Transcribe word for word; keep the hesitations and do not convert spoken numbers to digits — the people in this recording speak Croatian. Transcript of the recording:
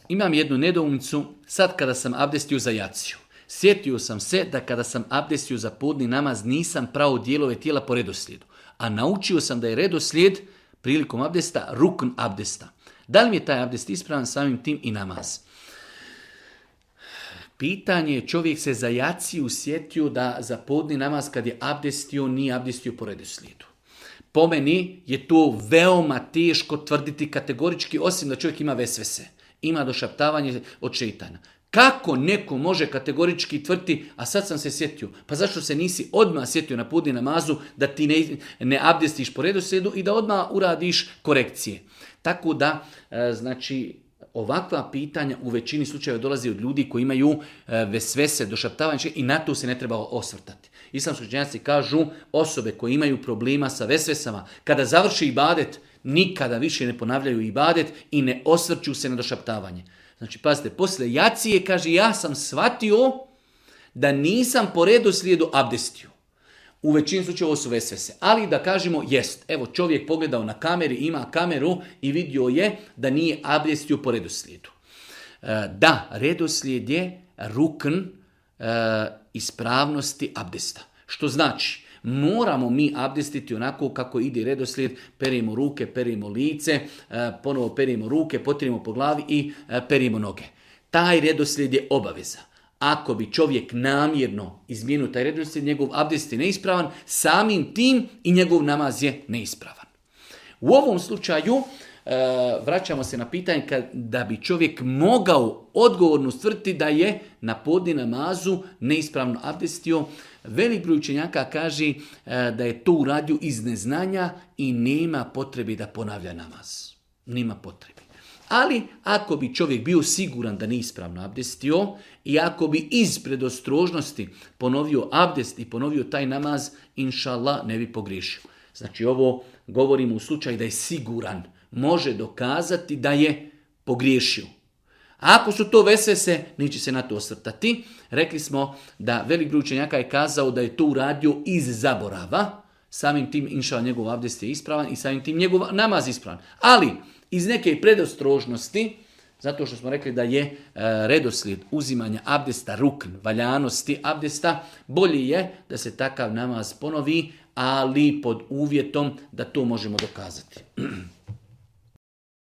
Imam jednu nedoumicu, sad kada sam abdestio za jaciju. Sjetio sam se da kada sam abdestio za podni namaz nisam prao dijelove tijela po redoslijedu. A naučio sam da je redoslijed prilikom abdesta rukn abdesta. Da li mi je taj abdest ispravan, samim tim i namaz? Pitanje je, čovjek se za jaciju sjetio da za podni namaz kad je abdestio, nije abdestio po redoslijedu. Po meni je to veoma teško tvrditi kategorički, osim da čovjek ima vesvese. Ima došaptavanje od šeitana. Kako neko može kategorički tvrditi, a sad sam se sjetio, pa zašto se nisi odmah sjetio na podni namazu da ti ne, ne abdestiš po redoslijedu i da odmah uradiš korekcije. Tako da, znači, ovakva pitanja u većini slučajeva dolazi od ljudi koji imaju vesvese, došaptavanje i na to se ne treba osvrtati. Islamski učenjaci kažu, osobe koje imaju problema sa vesvesama, kada završi ibadet, nikada više ne ponavljaju ibadet i ne osvrću se na došaptavanje. Znači, pazite, posle jacije kaže, ja sam shvatio da nisam po redoslijedu abdestio. U većini slučajeva ovo su vesvese. Ali da kažemo, jest, evo čovjek pogledao na kameri, ima kameru i vidio je da nije abdestio po redoslijedu. Da, redoslijed je rukn ispravnosti abdesta. Što znači, moramo mi abdestiti onako kako ide redoslijed, perimo ruke, perimo lice, ponovo perimo ruke, potirimo po glavi i perimo noge. Taj redoslijed je obaveza. Ako bi čovjek namjerno izmijenio taj redoslijed, njegov abdest je neispravan, samim tim i njegov namaz je neispravan. U ovom slučaju vraćamo se na pitanje da bi čovjek mogao odgovorno stvrditi da je na podni namazu neispravno abdestio. Velik broj učenjaka kaže da je to uradio iz neznanja i nema potrebe da ponavlja namaz. Nema potrebe. Ali ako bi čovjek bio siguran da nije ispravno abdestio i ako bi iz predostrožnosti ponovio abdest i ponovio taj namaz, inša Allah ne bi pogriješio. Znači ovo govorimo u slučaju da je siguran, može dokazati da je pogriješio. A ako su to vesvese, neće se na to osvrtati. Rekli smo da velik broj učenjaka je kazao da je to uradio iz zaborava, samim tim inša njegov abdest je ispravan i samim tim njegov namaz ispravan. Ali iz neke predostrožnosti, zato što smo rekli da je e, redoslijed uzimanja abdesta rukn, valjanosti abdesta, bolje je da se takav namaz ponovi, ali pod uvjetom da to možemo dokazati.